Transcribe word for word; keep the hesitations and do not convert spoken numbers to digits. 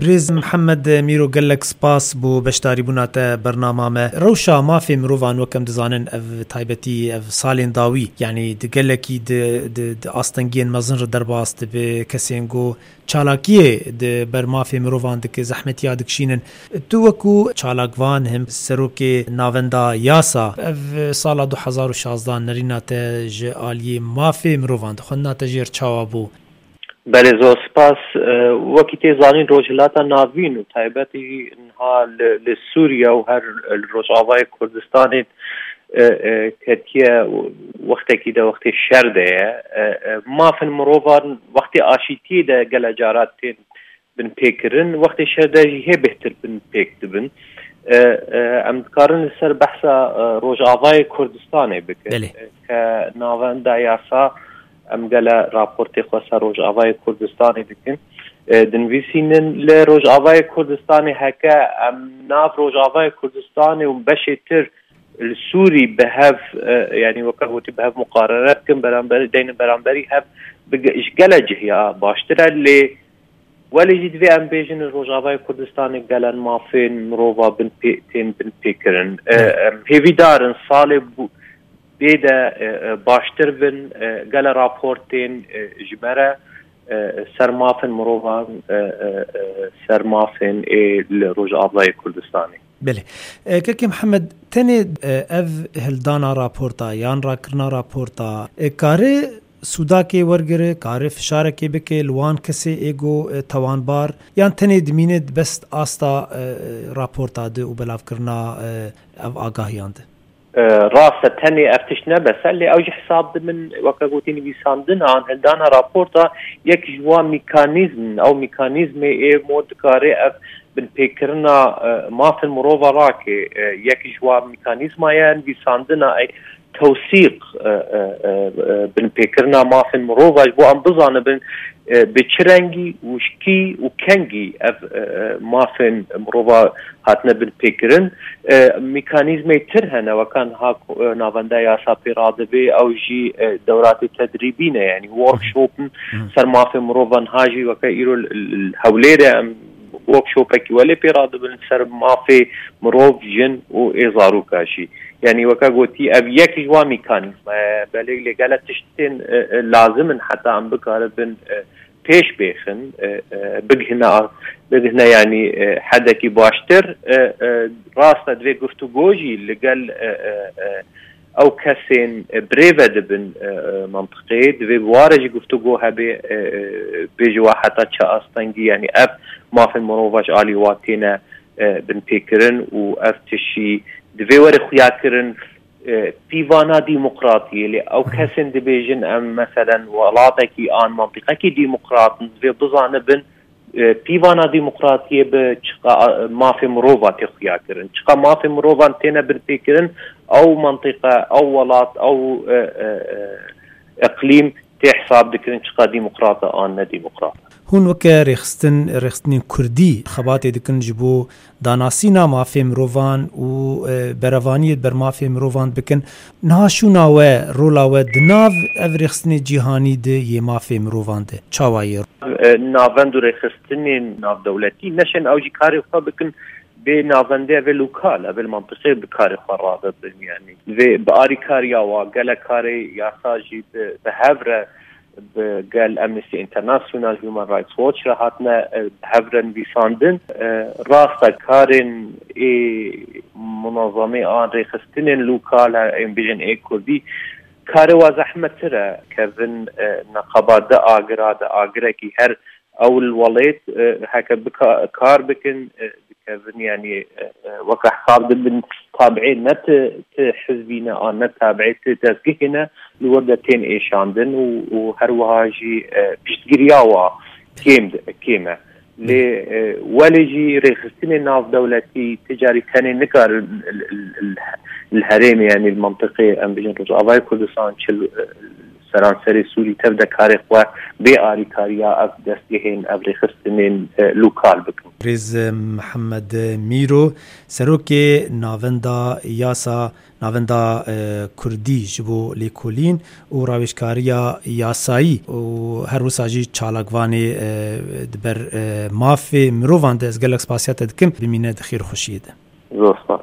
Birêz Mihemed Mîro, gelek spas bo beşdarîbûna te bernama me. Rewşa mafê mirovan, wek em dizanin, ev taybetî, ev salên dawî, yanî di gelekî di, di, di astengiyên mezin re derbas dibe, kesên ku çalakiyê di ber mafê mirovan dike, zehmetiya dikişînin. Tu wekû çalakvan him serokê Navenda Yasa, ev sala du hezar û şazdehan nerîna te ji aliyê mafê mirovan de, xwendina te jê re çawa bû? Belê, zor spas. E, wekî tê zanîn, Rojhilata Navîn û taybetî jî niha li, li Sûriye û her li Rojavayê Kurdistanê, e, e, ketiye wextekî de, wextê şer de ye. E, e, mafên mirovan wextê aşîtiyê de gele cara tên binpêkirin, wextê şer de jî hê bêhtir binpêk dibin. E, e, em dikarin li ser behsa, e, Rojavayê Kurdistanê bikin. Belê. E, ke Navenda Yasa, em gele raportê xwe ser Rojavayê Kurdistanê dikin. E, dinivîsînin li Rojavayê Kurdistanê, heke em nav Rojavayê Kurdistanê û beşê tir li Sûrî bi hev, e, yanî weke gotî bi hev muqarene bikin, beramberî, deynin beramberî hev, bi ge-, ji gele cihiya baştir e, lê welê jî divê em bêjin li Rojavayê Kurdistanê gelen mafên mirova bin pê-, tên binpêkirin. E, Evet. Em hêvîdar in salê bû-, bê de, e, e, baştir bin, e, gele rapor tên, e, ji me re, e, ser mafên mirovan, e, e, e, ser mafên ê li Rojavayê Kurdistanê. Belê. E, Kekê Mihemed, tenê, e, ev hildana raporta yan rakirina raporta, e, kare sûdakê wergire, kare fişarekê bike li wan kesê ê go, e, tawanbar, yan tenê dimîne di best asta, e, raporta de û belavkirina, e, ev agahiyan de? E, rast e, tenê ev tişt ne bes e, lê ew jî hesab dibin, weke gotî, nivîsandina an hildana raporta yek ji wan mîkanîzm, ew mîkanîzmê ê mo dikare ev binpêkirina, e, mafên mirova rake, e, yek ji wan mîkanîzma ye nivîsandina ey tewsîq, e, e, e, e, binpêkirina mafên mirova ji bo em bizanibin, e, bi çi rengî û ji kî û kengî ev, e, e, mafên mirova hatine binpêkirin. E, mîkanîzmê tir hene, weka niha ku, e, Navenda Yasa pê radibe, ew jî, e, dewratê tedrîbî ne, yanî workshop in. Hı. Ser mafê mirovan, niha jî weke îro li, li, li Hewlêrê em workshopekî welê pê radibin ser mafê mirov, jin û ê zaroka jî. Yanî weke gotî, ev yek ji wan mîkanîzma ye. Belê lê gele tiştên, e, e, lazim in heta em bikaribin, e, pêş bêxin, e, e, bigihine, bigihine, yanî, e, hedekî baştir. E, e, rast e, divê guftûgo jî li gel, e, e, e, ew kesên, e, birêve dibin, e, e, mentiqê, divê bi ware jî guftûgo hebe, e, e, bêje wa heta çi astengî, yanî ev mafên mirova ji alî wa têne, e, binpêkirin û ev tişî divê were xuyakirin, e, pîvana demokratiyê. Lê ew kesên dibêjin, em meselen welatekî an mantîqekî demokrat in, divê bizanibin, e, pîvana demokratiyê bi çiqa, e, mafê mirova tê xuya kirin, çiqa mafê mirovan têne binpêkirin, ew mantîqe, ew welat, ew, e, e, e, iqlîm tê hesab dikirin çiqa demokrat e an ne demokrat. Hûn weke rêxistin, rêxistinên kurdî xebatê dikin ji bo danasîna mafê mirovan û, e, berevaniyê ber mafê mirovan bikin. Niha şûna we, rola we di nav ev rêxistinê cîhanî de yê mafê mirovan de çawa ye? E, navend û rêxistinên navdewletî neşên ew jî karê xwe bikin, bê navendê ev ê lokal, ev ê li mentiqê bi karê xwe radibin. Yanî divê bi arîkariya wa gele karê yasa jî bi, bi hev re bi gel Amnesty International, Human Rights Watch re hatine, e, bi hev re nivîsandin. E, rast e, karên ê munazemê an rêxistinên lokal, e, em bêjin ê kurdî, karê wa zehmettir e. Kevin, e, neqeba di agira, di agirekî her ew li welêt, e, heke bika-, kar bikin, e, dikevin, yanî, e, e, weke hesab dibin, tabiê ne ti, ti hizbî ne, an ne tabiê ti dezgehê ne, li wir de tên êşandin û, û her wiha jî, e, piştgiriya wa kêm, kêm e. Lê, e, welê jî rêxistinê navdewletî ti carî tenê nikarin li, li, li, li herêmê, yanî li mentiqê, em bijin Rojavayê Kurdistan, çi li, e, seranserê Sûrî tev de karê xwe bê arîkariya ev destgehên, ev rêxistinên, e, lokal bikin. Rêz Mihemed Mîro, serokê Navenda Yasa, Navenda e, Kurdî ji bo Lêkolîn û Rawêjkariya Yasayî û her wisa jî çalakvanê e, di ber e, mafê mirovan de, ez gelek spasiya te dikim, bimîne di xêr û xweşiyê de. Zor spas.